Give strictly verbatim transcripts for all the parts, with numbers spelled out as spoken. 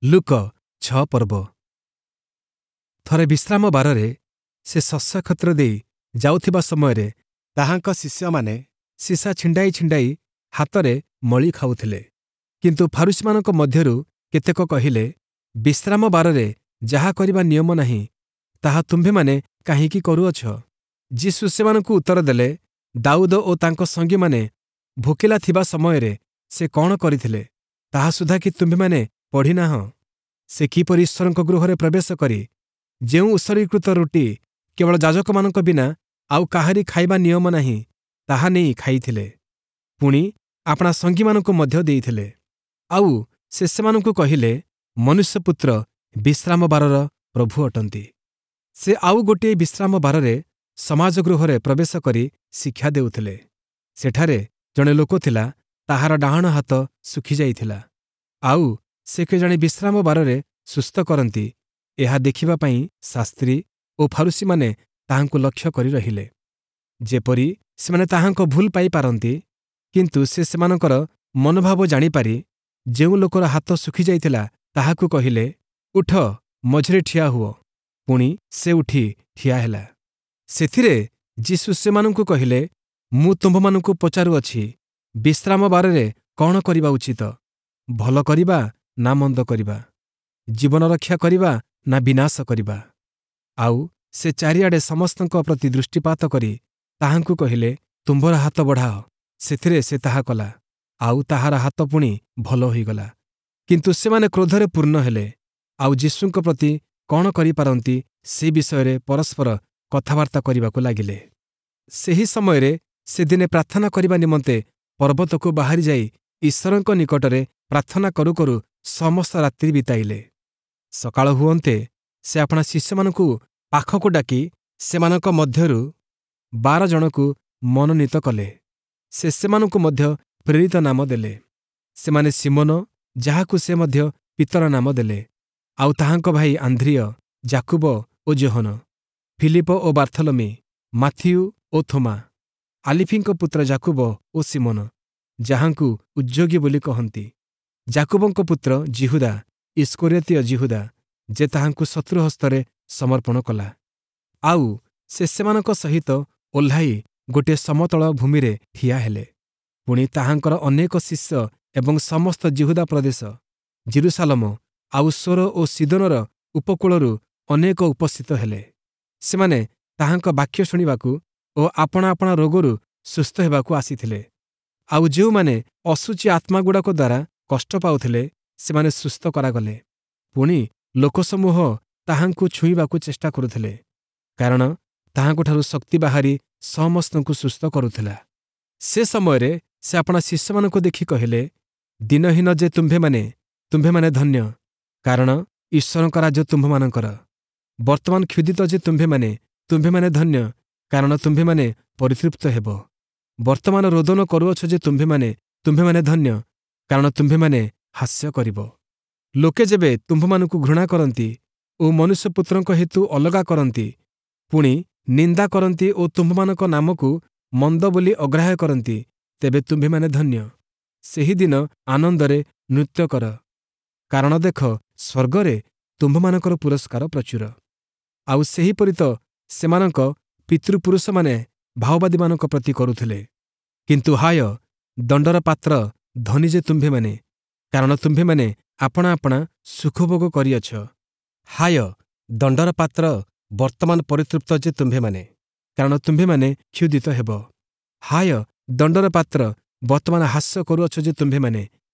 ଲୂକ ଛଅ ପର୍ବ ଥରେ ବିଶ୍ରାମ ବାରରେ ସେ ଶସ୍ୟକ୍ଷେତ୍ର ଦେଇ ଯାଉଥିବା ସମୟରେ ତାହାଙ୍କ ଶିଷ୍ୟମାନେ ଶିଶା ଛିଣ୍ଡାଇ ଛିଣ୍ଡାଇ ହାତରେ ମଳି ଖାଉଥିଲେ। କିନ୍ତୁ ଫାରୂଶୀମାନଙ୍କ ମଧ୍ୟରୁ କେତେକ କହିଲେ, ବିଶ୍ରାମ ବାରରେ ଯାହା କରିବା ନିୟମ ନାହିଁ, ତାହା ତୁମ୍ଭେମାନେ କାହିଁକି କରୁଅଛ? ଯୀଶୁ ସେମାନଙ୍କୁ ଉତ୍ତର ଦେଲେ, ଦାଉଦ ଓ ତାଙ୍କ ସଙ୍ଗୀମାନେ ଭୋକିଲା ଥିବା ସମୟରେ ସେ କଣ କରିଥିଲେ, ତାହା ସୁଦ୍ଧା କି ତୁମ୍ଭେମାନେ ପଢ଼ିନାହଁ? ସେ କିପରି ଈଶ୍ୱରଙ୍କ ଗୃହରେ ପ୍ରବେଶ କରି ଯେଉଁ ଉତ୍ସର୍ଗୀକୃତ ରୁଟି କେବଳ ଯାଜକମାନଙ୍କ ବିନା ଆଉ କାହାରି ଖାଇବା ନିୟମ ନାହିଁ, ତାହା ନେଇ ଖାଇଥିଲେ, ପୁଣି ଆପଣା ସଙ୍ଗୀମାନଙ୍କୁ ମଧ୍ୟ ଦେଇଥିଲେ। ଆଉ ସେ ସେମାନଙ୍କୁ କହିଲେ, ମନୁଷ୍ୟପୁତ୍ର ବିଶ୍ରାମ ବାରର ପ୍ରଭୁ ଅଟନ୍ତି। ସେ ଆଉ ଗୋଟିଏ ବିଶ୍ରାମ ବାରରେ ସମାଜ ଗୃହରେ ପ୍ରବେଶ କରି ଶିକ୍ଷା ଦେଉଥିଲେ। ସେଠାରେ ଜଣେ ଲୋକ ଥିଲା, ତାହାର ଡାହାଣ ହାତ ଶୁଖିଯାଇଥିଲା। ଆଉ ସେ କେଜାଣି ବିଶ୍ରାମ ବାରରେ ସୁସ୍ଥ କରନ୍ତି, ଏହା ଦେଖିବା ପାଇଁ ଶାସ୍ତ୍ରୀ ଓ ଫାରୂଶୀମାନେ ତାହାଙ୍କୁ ଲକ୍ଷ୍ୟ କରି ରହିଲେ, ଯେପରି ସେମାନେ ତାହାଙ୍କ ଭୁଲ ପାଇପାରନ୍ତି। କିନ୍ତୁ ସେ ସେମାନଙ୍କର ମନୋଭାବ ଜାଣିପାରି ଯେଉଁ ଲୋକର ହାତ ଶୁଖିଯାଇଥିଲା ତାହାକୁ କହିଲେ, ଉଠ, ମଝିରେ ଠିଆ ହୁଅ। ପୁଣି ସେ ଉଠି ଠିଆ ହେଲା। ସେଥିରେ ଯୀଶୁ ସେମାନଙ୍କୁ କହିଲେ, ମୁଁ ତୁମ୍ଭମାନଙ୍କୁ ପଚାରୁଅଛି, ବିଶ୍ରାମ ବାରରେ କଣ କରିବା ଉଚିତ? ଭଲ କରିବା ନା ମନ୍ଦ କରିବା? ଜୀବନ ରକ୍ଷା କରିବା ନା ବିନାଶ କରିବା? ଆଉ ସେ ଚାରିଆଡ଼େ ସମସ୍ତଙ୍କ ପ୍ରତି ଦୃଷ୍ଟିପାତ କରି ତାହାଙ୍କୁ କହିଲେ, ତୁମ୍ଭର ହାତ ବଢ଼ାଅ। ସେଥିରେ ସେ ତାହା କଲା, ଆଉ ତାହାର ହାତ ପୁଣି ଭଲ ହୋଇଗଲା। କିନ୍ତୁ ସେମାନେ କ୍ରୋଧରେ ପୂର୍ଣ୍ଣ ହେଲେ, ଆଉ ଯୀଶୁଙ୍କ ପ୍ରତି କଣ କରିପାରନ୍ତି ସେ ବିଷୟରେ ପରସ୍ପର କଥାବାର୍ତ୍ତା କରିବାକୁ ଲାଗିଲେ। ସେହି ସମୟରେ ସେ ଦିନେ ପ୍ରାର୍ଥନା କରିବା ନିମନ୍ତେ ପର୍ବତକୁ ବାହାରି ଯାଇ ଈଶ୍ୱରଙ୍କ ନିକଟରେ ପ୍ରାର୍ଥନା କରୁ କରୁ ସମସ୍ତ ରାତ୍ରି ବିତାଇଲେ। ସକାଳ ହୁଅନ୍ତେ ସେ ଆପଣା ଶିଷ୍ୟମାନଙ୍କୁ ପାଖକୁ ଡାକି ସେମାନଙ୍କ ମଧ୍ୟରୁ ବାର ଜଣକୁ ମନୋନୀତ କଲେ। ସେ ସେମାନଙ୍କୁ ମଧ୍ୟ ପ୍ରେରିତ ନାମ ଦେଲେ। ସେମାନେ ଶିମୋନ, ଯାହାକୁ ସେ ମଧ୍ୟ ପିତର ନାମ ଦେଲେ, ଆଉ ତାହାଙ୍କ ଭାଇ ଆନ୍ଦ୍ରିୟ, ଯାକୁବ ଓ ଯୋହନ, ଫିଲିପ ଓ ବାର୍ଥଲମି, ମାଥିଉ ଓ ଥୋମା, ଆଲିଫିଙ୍କ ପୁତ୍ର ଯାକୁବ ଓ ଶିମୋନ, ଯାହାଙ୍କୁ ଉଦ୍ଯୋଗୀ ବୋଲି କହନ୍ତି, ଯାକୁବଙ୍କ ପୁତ୍ର ଯିହୁଦା, ଇଷ୍କରିୟୋତୀୟ ଯିହୁଦା, ଯେ ତାହାଙ୍କୁ ଶତ୍ରୁ ହସ୍ତରେ ସମର୍ପଣ କଲା। ଆଉ ସେ ସେମାନଙ୍କ ସହିତ ଓହ୍ଲାଇ ଗୋଟିଏ ସମତଳ ଭୂମିରେ ଠିଆ ହେଲେ। ପୁଣି ତାହାଙ୍କର ଅନେକ ଶିଷ୍ୟ ଏବଂ ସମସ୍ତ ଯିହୁଦା ପ୍ରଦେଶ, ଯିରୂଶାଲମ, ଆଉ ସୋର ଓ ସୀଦୋନର ଉପକୂଳରୁ ଅନେକ ଉପସ୍ଥିତ ହେଲେ। ସେମାନେ ତାହାଙ୍କ ବାକ୍ୟ ଶୁଣିବାକୁ ଓ ଆପଣା ଆପଣା ରୋଗରୁ ସୁସ୍ଥ ହେବାକୁ ଆସିଥିଲେ। ଆଉ ଯେଉଁମାନେ ଅଶୁଚି ଆତ୍ମାଗୁଡ଼ାକ ଦ୍ୱାରା କଷ୍ଟ ପାଉଥିଲେ, ସେମାନେ ସୁସ୍ଥ କରାଗଲେ। ପୁଣି ଲୋକସମୂହ ତାହାଙ୍କୁ ଛୁଇଁବାକୁ ଚେଷ୍ଟା କରୁଥିଲେ, କାରଣ ତାହାଙ୍କଠାରୁ ଶକ୍ତି ବାହାରି ସମସ୍ତଙ୍କୁ ସୁସ୍ଥ କରୁଥିଲା। ସେ ସମୟରେ ସେ ଆପଣା ଶିଷ୍ୟମାନଙ୍କୁ ଦେଖି କହିଲେ, ଦୀନହୀନ ଯେ ତୁମ୍ଭେମାନେ, ତୁମ୍ଭେମାନେ ଧନ୍ୟ, କାରଣ ଈଶ୍ୱରଙ୍କ ରାଜ୍ୟ ତୁମ୍ଭମାନଙ୍କର। ବର୍ତ୍ତମାନ କ୍ଷୁଧିତ ଯେ ତୁମ୍ଭେମାନେ, ତୁମ୍ଭେମାନେ ଧନ୍ୟ, କାରଣ ତୁମ୍ଭେମାନେ ପରିତୃପ୍ତ ହେବ। ବର୍ତ୍ତମାନ ରୋଦନ କରୁଅଛ ଯେ ତୁମ୍ଭେମାନେ, ତୁମ୍ଭେମାନେ ଧନ୍ୟ, କାରଣ ତୁମ୍ଭେମାନେ ହାସ୍ୟ କରିବ। ଲୋକେ ଯେବେ ତୁମ୍ଭମାନଙ୍କୁ ଘୃଣା କରନ୍ତି ଓ ମନୁଷ୍ୟପୁତ୍ରଙ୍କ ହେତୁ ଅଲଗା କରନ୍ତି, ପୁଣି ନିନ୍ଦା କରନ୍ତି ଓ ତୁମ୍ଭମାନଙ୍କ ନାମକୁ ମନ୍ଦ ବୋଲି ଅଗ୍ରାହ୍ୟ କରନ୍ତି, ତେବେ ତୁମ୍ଭେମାନେ ଧନ୍ୟ। ସେହିଦିନ ଆନନ୍ଦରେ ନୃତ୍ୟ କର, କାରଣ ଦେଖ, ସ୍ୱର୍ଗରେ ତୁମ୍ଭମାନଙ୍କର ପୁରସ୍କାର ପ୍ରଚୁର। ଆଉ ସେହିପରି ତ ସେମାନଙ୍କ ପିତୃପୁରୁଷମାନେ ଭାଓବାଦୀମାନଙ୍କ ପ୍ରତି କରୁଥିଲେ। କିନ୍ତୁ ହାୟ, ଦଣ୍ଡର ପାତ୍ର ଧନୀ ଯେ ତୁମ୍ଭେମାନେ, କାରଣ ତୁମ୍ଭେମାନେ ଆପଣା ଆପଣା ସୁଖଭୋଗ କରିଅଛ। ହାୟ, ଦଣ୍ଡର ପାତ୍ର ବର୍ତ୍ତମାନ ପରିତୃପ୍ତ ଯେ ତୁମ୍ଭେମାନେ, କାରଣ ତୁମ୍ଭେମାନେ କ୍ଷୁଧିତ ହେବ। ହାୟ, ଦଣ୍ଡର ପାତ୍ର ବର୍ତ୍ତମାନ ହାସ୍ୟ କରୁଅଛ ଯେ ତୁମ୍ଭେମାନେ,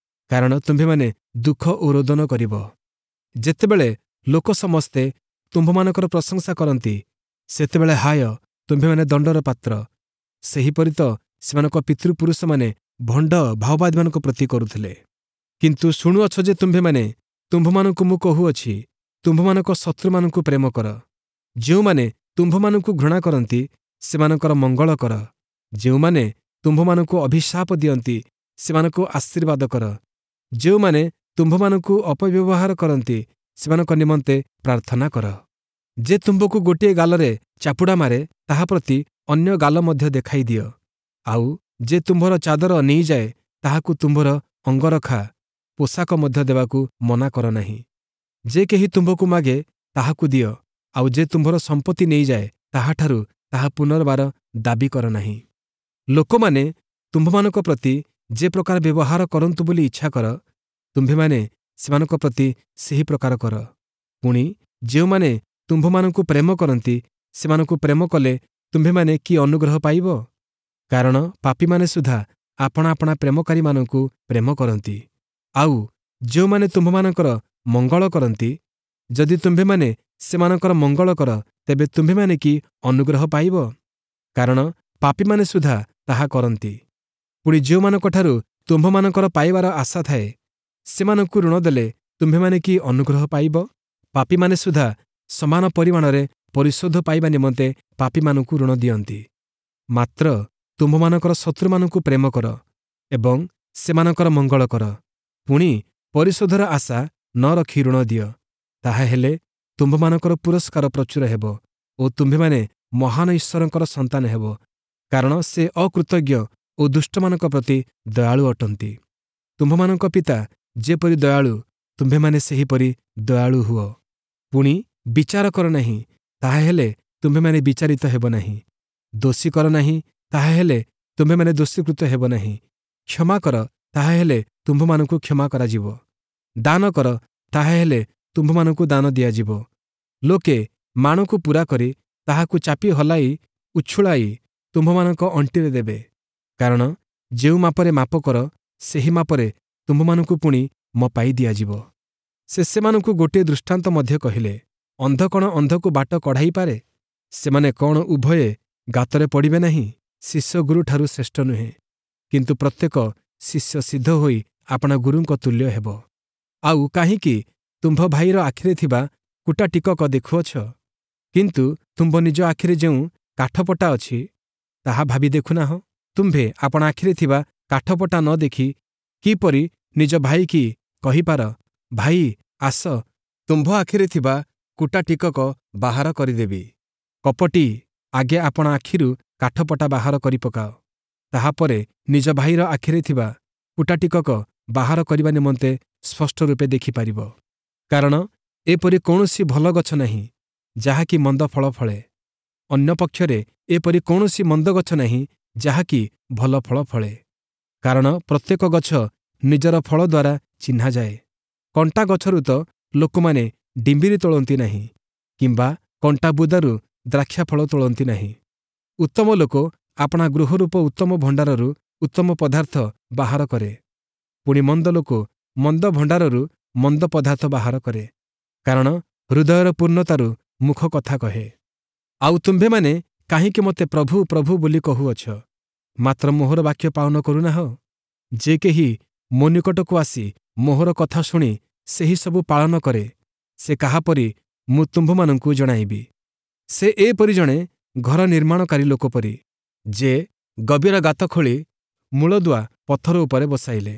କାରଣ ତୁମ୍ଭେମାନେ ଦୁଃଖ ଓ ରୋଦନ କରିବ। ଯେତେବେଳେ ଲୋକ ସମସ୍ତେ ତୁମ୍ଭମାନଙ୍କର ପ୍ରଶଂସା କରନ୍ତି, ସେତେବେଳେ ହାୟ, ତୁମ୍ଭେମାନେ ଦଣ୍ଡର ପାତ୍ର। ସେହିପରି ତ ସେମାନଙ୍କ ପିତୃପୁରୁଷମାନେ ଭଣ୍ଡ ଭାଓବାଦୀମାନଙ୍କ ପ୍ରତି କରୁଥିଲେ। କିନ୍ତୁ ଶୁଣୁଅଛ ଯେ ତୁମ୍ଭେମାନେ, ତୁମ୍ଭମାନଙ୍କୁ ମୁଁ କହୁଅଛି, ତୁମ୍ଭମାନଙ୍କ ଶତ୍ରୁମାନଙ୍କୁ ପ୍ରେମ କର। ଯେଉଁମାନେ ତୁମ୍ଭମାନଙ୍କୁ ଘୃଣା କରନ୍ତି, ସେମାନଙ୍କର ମଙ୍ଗଳ କର। ଯେଉଁମାନେ ତୁମ୍ଭମାନଙ୍କୁ ଅଭିଶାପ ଦିଅନ୍ତି, ସେମାନଙ୍କୁ ଆଶୀର୍ବାଦ କର। ଯେଉଁମାନେ ତୁମ୍ଭମାନଙ୍କୁ ଅପବ୍ୟବହାର କରନ୍ତି, ସେମାନଙ୍କ ନିମନ୍ତେ ପ୍ରାର୍ଥନା କର। ଯେ ତୁମ୍ଭକୁ ଗୋଟିଏ ଗାଲରେ ଚାପୁଡ଼ା ମାରେ, ତାହା ପ୍ରତି ଅନ୍ୟ ଗାଲ ମଧ୍ୟ ଦେଖାଇ ଦିଅ। ଆଉ ଯେ ତୁମ୍ଭର ଚାଦର ନେଇଯାଏ, ତାହାକୁ ତୁମ୍ଭର ଅଙ୍ଗରଖା ପୋଷାକ ମଧ୍ୟ ଦେବାକୁ ମନା କର ନାହିଁ। ଯେ କେହି ତୁମ୍ଭକୁ ମାଗେ ତାହାକୁ ଦିଅ, ଆଉ ଯେ ତୁମ୍ଭର ସମ୍ପତ୍ତି ନେଇଯାଏ ତାହାଠାରୁ ତାହା ପୁନର୍ବାର ଦାବି କର ନାହିଁ। ଲୋକମାନେ ତୁମ୍ଭମାନଙ୍କ ପ୍ରତି ଯେ ପ୍ରକାର ବ୍ୟବହାର କରନ୍ତୁ ବୋଲି ଇଚ୍ଛା କର, ତୁମ୍ଭେମାନେ ସେମାନଙ୍କ ପ୍ରତି ସେହି ପ୍ରକାର କର। ପୁଣି ଯେଉଁମାନେ ତୁମ୍ଭମାନଙ୍କୁ ପ୍ରେମ କରନ୍ତି ସେମାନଙ୍କୁ ପ୍ରେମ କଲେ ତୁମ୍ଭେମାନେ କି ଅନୁଗ୍ରହ ପାଇବ? କାରଣ ପାପୀମାନେ ସୁଦ୍ଧା ଆପଣା ଆପଣା ପ୍ରେମକାରୀମାନଙ୍କୁ ପ୍ରେମ କରନ୍ତି। ଆଉ ଯେଉଁମାନେ ତୁମ୍ଭମାନଙ୍କର ମଙ୍ଗଳ କରନ୍ତି, ଯଦି ତୁମ୍ଭେମାନେ ସେମାନଙ୍କର ମଙ୍ଗଳ କର, ତେବେ ତୁମ୍ଭେମାନେ କି ଅନୁଗ୍ରହ ପାଇବ? କାରଣ ପାପୀମାନେ ସୁଦ୍ଧା ତାହା କରନ୍ତି। ପୁଣି ଯେଉଁମାନଙ୍କଠାରୁ ତୁମ୍ଭମାନଙ୍କର ପାଇବାର ଆଶା ଥାଏ, ସେମାନଙ୍କୁ ଋଣ ଦେଲେ ତୁମ୍ଭେମାନେ କି ଅନୁଗ୍ରହ ପାଇବ? ପାପୀମାନେ ସୁଦ୍ଧା ସମାନ ପରିମାଣରେ ପରିଶୋଧ ପାଇବା ନିମନ୍ତେ ପାପୀମାନଙ୍କୁ ଋଣ ଦିଅନ୍ତି। ମାତ୍ର ତୁମ୍ଭମାନଙ୍କର ଶତ୍ରୁମାନଙ୍କୁ ପ୍ରେମ କର ଏବଂ ସେମାନଙ୍କର ମଙ୍ଗଳ କର, ପୁଣି ପରିଶୋଧର ଆଶା ନ ରଖି ଋଣ ଦିଅ। ତାହାହେଲେ ତୁମ୍ଭମାନଙ୍କର ପୁରସ୍କାର ପ୍ରଚୁର ହେବ ଓ ତୁମ୍ଭେମାନେ ମହାନ ଈଶ୍ୱରଙ୍କର ସନ୍ତାନ ହେବ, କାରଣ ସେ ଅକୃତଜ୍ଞ ଓ ଦୁଷ୍ଟମାନଙ୍କ ପ୍ରତି ଦୟାଳୁ ଅଟନ୍ତି। ତୁମ୍ଭମାନଙ୍କ ପିତା ଯେପରି ଦୟାଳୁ, ତୁମ୍ଭେମାନେ ସେହିପରି ଦୟାଳୁ ହୁଅ। ପୁଣି ବିଚାର କର ନାହିଁ, ତାହାହେଲେ ତୁମ୍ଭେମାନେ ବିଚାରିତ ହେବ ନାହିଁ। ଦୋଷୀ କର ନାହିଁ, ତାହାହେଲେ ତୁମ୍ଭେମାନେ ଦୋଷୀକୃତ ହେବ ନାହିଁ। କ୍ଷମା କର, ତାହାହେଲେ ତୁମ୍ଭମାନଙ୍କୁ କ୍ଷମା କରାଯିବ। ଦାନ କର, ତାହାହେଲେ ତୁମ୍ଭମାନଙ୍କୁ ଦାନ ଦିଆଯିବ। ଲୋକେ ମାଣକୁ ପୂରା କରି ତାହାକୁ ଚାପି ହଲାଇ ଉଛୁଳାଇ ତୁମ୍ଭମାନଙ୍କ ଅଣ୍ଟିରେ ଦେବେ। କାରଣ ଯେଉଁ ମାପରେ ମାପ କର, ସେହି ମାପରେ ତୁମ୍ଭମାନଙ୍କୁ ପୁଣି ମପାଇ ଦିଆଯିବ। ସେ ସେମାନଙ୍କୁ ଗୋଟିଏ ଦୃଷ୍ଟାନ୍ତ ମଧ୍ୟ କହିଲେ, ଅନ୍ଧ କ'ଣ ଅନ୍ଧକୁ ବାଟ କଢ଼ାଇପାରେ? ସେମାନେ କ'ଣ ଉଭୟେ ଗାତରେ ପଡ଼ିବେ ନାହିଁ? ଶିଷ୍ୟ ଗୁରୁଠାରୁ ଶ୍ରେଷ୍ଠ ନୁହେଁ, କିନ୍ତୁ ପ୍ରତ୍ୟେକ ଶିଷ୍ୟ ସିଦ୍ଧ ହୋଇ ଆପଣା ଗୁରୁଙ୍କ ତୁଲ୍ୟ ହେବ। ଆଉ କାହିଁକି ତୁମ୍ଭ ଭାଇର ଆଖିରେ ଥିବା କୁଟା ଟିକକ ଦେଖୁଅଛ, କିନ୍ତୁ ତୁମ୍ଭ ନିଜ ଆଖିରେ ଯେଉଁ କାଠପଟା ଅଛି ତାହା ଭାବି ଦେଖୁନାହଁ? ତୁମ୍ଭେ ଆପଣା ଆଖିରେ ଥିବା କାଠପଟା ନ ଦେଖି କିପରି ନିଜ ଭାଇକି କହିପାର, ଭାଇ ଆସ, ତୁମ୍ଭ ଆଖିରେ ଥିବା କୁଟା ଟିକକ ବାହାର କରିଦେବି? କପଟୀ, ଆଗେ ଆପଣା ଆଖିରୁ କାଠପଟା ବାହାର କରିପକାଅ, ତାହାପରେ ନିଜ ଭାଇର ଆଖିରେ ଥିବା କୁଟା ଟିକକ ବାହାର କରିବା ନିମନ୍ତେ ସ୍ପଷ୍ଟ ରୂପେ ଦେଖିପାରିବ। କାରଣ ଏପରି କୌଣସି ଭଲ ଗଛ ନାହିଁ ଯାହାକି ମନ୍ଦ ଫଳ ଫଳେ, ଅନ୍ୟ ପକ୍ଷରେ ଏପରି କୌଣସି ମନ୍ଦ ଗଛ ନାହିଁ ଯାହାକି ଭଲ ଫଳ ଫଳେ। କାରଣ ପ୍ରତ୍ୟେକ ଗଛ ନିଜର ଫଳ ଦ୍ୱାରା ଚିହ୍ନାଯାଏ। କଣ୍ଟା ଗଛରୁ ତ ଲୋକମାନେ ଡିମ୍ବିରି ତୋଳନ୍ତି ନାହିଁ, କିମ୍ବା କଣ୍ଟା ବୁଦାରୁ ଦ୍ରାକ୍ଷାଫଳ ତୋଳନ୍ତି ନାହିଁ। ଉତ୍ତମ ଲୋକ ଆପଣା ଗୃହରୂପ ଉତ୍ତମ ଭଣ୍ଡାରରୁ ଉତ୍ତମ ପଦାର୍ଥ ବାହାର କରେ, ପୁଣି ମନ୍ଦ ଲୋକ ମନ୍ଦ ଭଣ୍ଡାରରୁ ମନ୍ଦ ପଦାର୍ଥ ବାହାର କରେ। କାରଣ ହୃଦୟର ପୂର୍ଣ୍ଣତାରୁ ମୁଖ କଥା କହେ। ଆଉ ତୁମ୍ଭେମାନେ କାହିଁକି ମୋତେ ପ୍ରଭୁ ପ୍ରଭୁ ବୋଲି କହୁଅଛ, ମାତ୍ର ମୋହର ବାକ୍ୟ ପାଳନ କରୁନାହଁ? ଯେ କେହି ମୋ ନିକଟକୁ ଆସି ମୋହର କଥା ଶୁଣି ସେହି ସବୁ ପାଳନ କରେ, ସେ କାହାପରି ମୁଁ ତୁମ୍ଭମାନଙ୍କୁ ଜଣାଇବି। ସେ ଏପରି ଜଣେ ଘର ନିର୍ମାଣକାରୀ ଲୋକ ପରି, ଯେ ଗଭୀର ଗାତ ଖୋଳି ମୂଳଦୁଆ ପଥର ଉପରେ ବସାଇଲେ।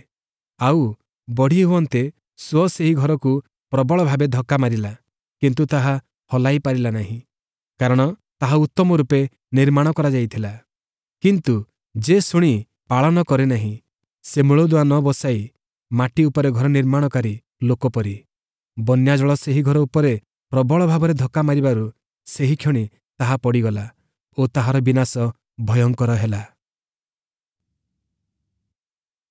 ଆଉ ବଢ଼ି ହୁଅନ୍ତେ ସୁଅ ସେହି ଘରକୁ ପ୍ରବଳ ଭାବେ ଧକ୍କା ମାରିଲା, କିନ୍ତୁ ତାହା ହଲାଇ ପାରିଲା ନାହିଁ, କାରଣ ତାହା ଉତ୍ତମ ରୂପେ ନିର୍ମାଣ କରାଯାଇଥିଲା। କିନ୍ତୁ ଯେ ଶୁଣି ପାଳନ କରେ ନାହିଁ, ସେ ମୂଳଦୁଆ ନ ବସାଇ ମାଟି ଉପରେ ଘର ନିର୍ମାଣକାରୀ ଲୋକ ପରି। ବନ୍ୟାଜଳ ସେହି ଘର ଉପରେ ପ୍ରବଳ ଭାବରେ ଧକ୍କା ମାରିବାରୁ ସେହିକ୍ଷଣି ତାହା ପଡ଼ିଗଲା ଓ ତାହାର ବିନାଶ ଭୟଙ୍କର ହେଲା।